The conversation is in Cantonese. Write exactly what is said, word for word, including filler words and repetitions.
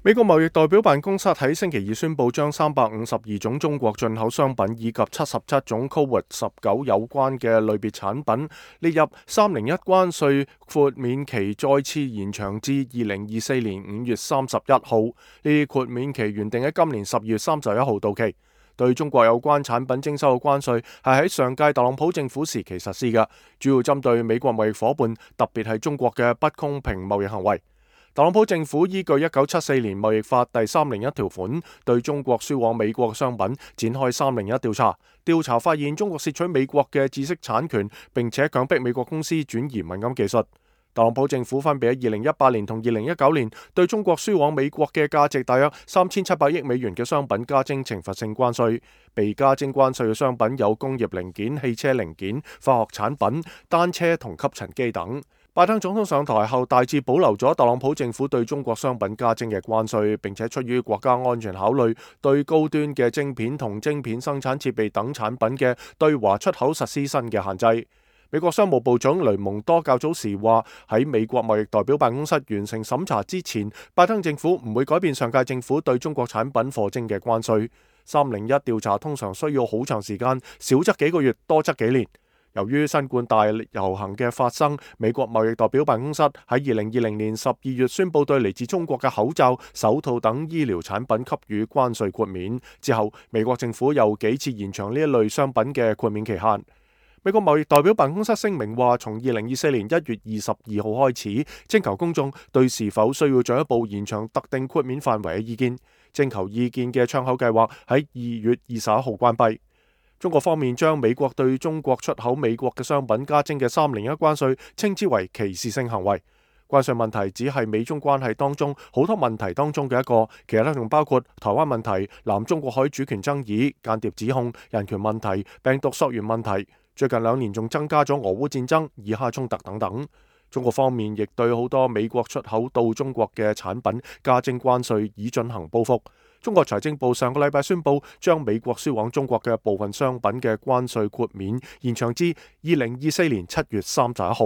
美國貿易代表辦公室喺星期二宣布，將三百五十二種中國進口商品以及七十七種 Covid 十九有關嘅類別產品列入三零一關稅豁免期，再次延長至二零二四年五月三十一號。呢啲豁免期原定喺今年十二月三十一號到期。對中國有關產品徵收嘅關稅係喺上屆特朗普政府時期實施嘅，主要針對美國貿易夥伴，特別係中國嘅不公平貿易行為。特朗普政府依據一九七四年貿易法第三零一條款，對中國輸往美國嘅商品展開三零一調查。調查發現中國竊取美國嘅知識產權，並且強迫美國公司轉移敏感技術。特朗普政府分別喺二零一八年同二零一九年對中國輸往美國嘅價值大約三千七百億美元嘅商品加徵懲罰性關稅。被加徵關稅嘅商品有工業零件、汽車零件、化學產品、單車同吸塵機等。拜登總統上台後大致保留咗特朗普政府對中國商品加徵嘅關稅，並且出於國家安全考慮，對高端嘅晶片同晶片生產設備等產品嘅對華出口實施新嘅限制。美國商務部長雷蒙多較早時話，喺美國貿易代表辦公室完成審查之前，拜登政府唔會改變上屆政府對中國產品課徵嘅關稅。三零一調查通常需要好長時間，少則幾個月，多則幾年。由於新冠大遊行嘅發生，美國貿易代表辦公室喺二零二零年十二月宣布對嚟自中國嘅口罩、手套等醫療產品給予關稅豁免。之後，美國政府又幾次延長呢一類商品嘅豁免期限。美國貿易代表辦公室聲明話，從二零二四年一月二十二號開始，徵求公眾對是否需要進一步延長特定豁免範圍嘅意見。徵求意見嘅窗口計劃喺二月二十一號關閉。中國方面將美國對中國出口美國嘅商品加徵嘅三零一關稅稱之為歧視性行為。關稅問題只係美中關係當中好多問題當中嘅一個，其他仲包括台灣問題、南中國海主權爭議、間諜指控、人權問題、病毒溯源問題。最近兩年仲增加咗俄烏戰爭、以哈衝突等等。中國方面亦對好多美國出口到中國嘅產品加徵關稅，以進行報復。中國財政部上個禮拜宣布，將美國輸往中國嘅部分商品嘅關稅豁免延長至二零二四年七月三十一號。